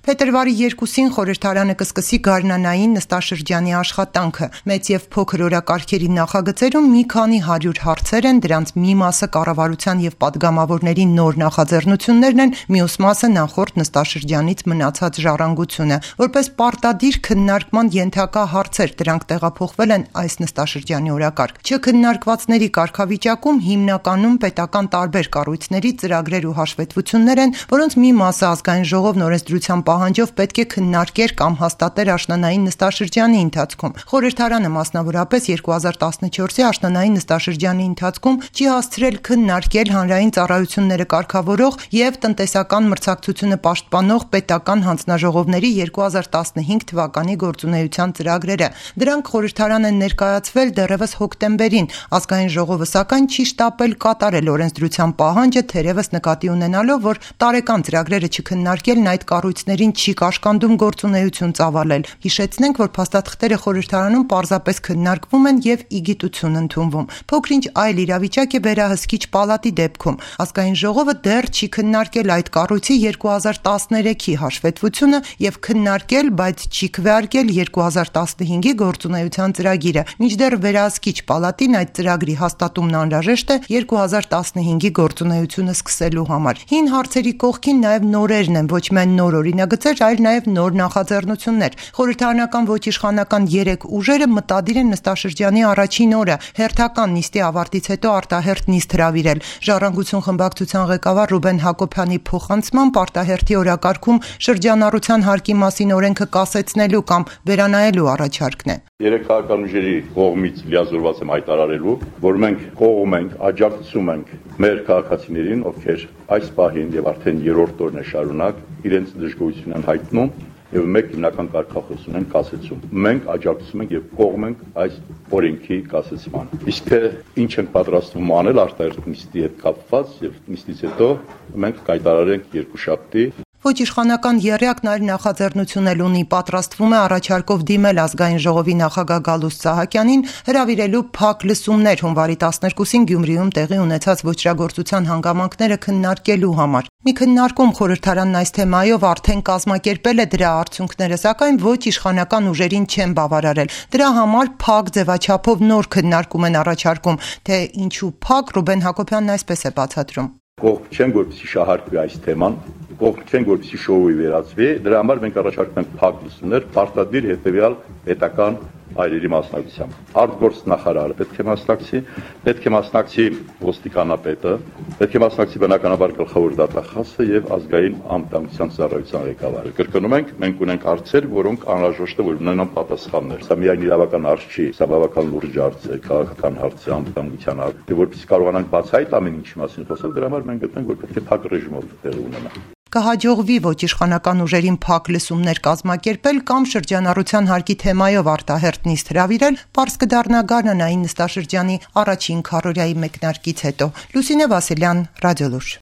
Փետրվարի 2-ին խորհրդարանը կսկսի գարնանային նստաշրջանի աշխատանքը։ Մեծ եւ փոքր օրակարգերի նախագծերում մի քանի 100 հարցեր են, դրանց մի մասը կառավարության եւ падգամավորների նոր նախաձեռնություններն են, մյուս մասը նախորդ նստաշրջանից մնացած ժառանգությունը։ Որպես պարտադիր քննարկման ենթակա հարցեր դրանք տեղափոխվել են այս նստաշրջանի օրակարգ։ Չքննարկվածների կարգավիճակում հիմնականում պետական տարբեր կառույցների ծրագրեր ու հաշվետվություններ են, որոնց մի մասը ազգային ժողովն օրենսդրության պահանջով պետք է քննարկեր կամ հաստատեր աշնանային նստաշրջանի ընթացքում։ Խորհրդարանը մասնավորապես 2014-ի աշնանային նստաշրջանի ընթացքում չի հասցրել քննարկել հանրային ծառայությունները կարգավորող եւ տնտեսական մրցակցությունը պաշտպանող պետական հանձնաժողովների 2015 թվականի գործունեության ծրագրերը։ Դրանք խորհրդարան են ներկայացվել դեռևս հոկտեմբերին։ Ազգային ժողովը սակայն չի շտապել կատարել օրենսդրության պահանջը, թերևս նկատի ունենալով, որ տարեկան ծրագրերը չքննարկելն այդ կառույցներին չի կաշկանդում գործունեություն ծավալել։ Հիշեցնենք, որ փաստաթղթերը խորհրդարանում պարզապես քննարկվում են եւ ի գիտություն ընդունվում։ Փոքրինչ այլ իրավիճակ է վերահսկիչ պալատի դեպքում։ Ազգային ժողովը դեռ չի քննարկել այդ կառույցի 2013-ի հաշվետվությունը եւ քննարկել, բայց չի քվեարկել 2015-ի գործունեության ծրագիրը։ Մինչդեռ վերահսկիչ պալատին այդ ծրագրի հաստատումն անհրաժեշտ է 2015-ի գործունեությունը սկսելու համար։ Հին հարցերի կողքին նաեւ նորերն են, ոչ միայն նոր օրինագծեր, այլ նաեւ նոր նախաձեռնություններ։ Խորհրդարանական ոչ իշխանական 3 ուժերը մտադիր են նստաշրջանի առաջին օրը հերթական նիստի ավարտից հետո արտահերթ նիստ հրավիրել։ Ժառանգություն խմբակցության ղեկավար Ռուբեն Հակոբյանի փոխանցմամբ արտահերթի օրակարգում շրջանառության հարկի մասին օրենքը կասեցնելու կամ վերանայելու առաջարկն է։ Երեք քաղաքական ուժերի կողմից լիազորված եմ հայտարարելու, որ մենք կողմ ենք, աջակցում ենք մեր քաղաքացիներին, ովքեր այս պահին եւ արդեն 3-րդ օրն է շարունակ իրենց դժգոհությունն են հայտնում եւ մեկ հիմնական կարգախոսություն են կասեցում։ Մենք աջակցում ենք եւ կողմ ենք այս օրենքի կասեցման։ Իսկ թե ինչ են պատրաստվում անել արտահերթ նիստի հետ կապված եւ նիստից հետո մենք կայտարարենք երկուշաբթի։ Ոչ իշխանական եռյակն այլ նախաձեռնություն էլ ունի, պատրաստվում է առաջարկով դիմել ազգային ժողովի նախագահ Գալուստ Սահակյանին հրավիրելու փակ լսումներ հունվարի 12-ին Գյումրիում տեղի ունեցած ոճրագործության հանգամանքները քննարկելու համար։ Մի քննարկում խորհրդարանն այս թեմայով արդեն կազմակերպել է դրա արդյունքները, սակայն ոչ իշխանական ուժերին չեն բավարարել։ Դրա համար փակ ձևաչափով նոր քննարկում են առաջարկում, թե ինչու փակ Ռուբեն Հակոբյանն այսպես է բացատրում։ Կողմ չեն, որպեսզի շահարկվի այս թեման, կողմ չեն, որպեսզի շոուի վերածվի, դրա համար մենք առաջարկում ենք փակ լսումներ, պարտադիր հետևյալ պետական այրերի մասնակցությամբ։ Արտգործ նախարարը պետք է մասնակցի ոստիկանապետը, պետք է մասնակցի բնականաբար գլխավոր դատախազը եւ ազգային անվտանգության ծառայության ղեկավարը։ Կրկնում ենք, մենք ունենք հարցեր, որոնք անհրաժեշտ է որ ունենան պատասխաններ։ Սա միայն իրավական հարց չի, սա բավական լուրջ հարց է, քաղաքական հարց է, անվտանգության հարց։ Եվ որպեսզի կարողանանք բացահայտ ամեն ինչի մասին խոսել, դրա համար մենք գտնենք, որ պետք է փակ ռեժիմով տեղի ունենա։ Կհաջողվի ոչ իշխանական ուժերին փակ լսումներ կազմակերպել կամ շրջանառության հարկի թեմայով արտահերթ նիստ հրավիրել, պարզ կդառնա գարնանային նստաշրջանի առաջին քառորյայի մեկնարկից հետո։ Լուսինե Վասիլյան, Ռադիոլուր։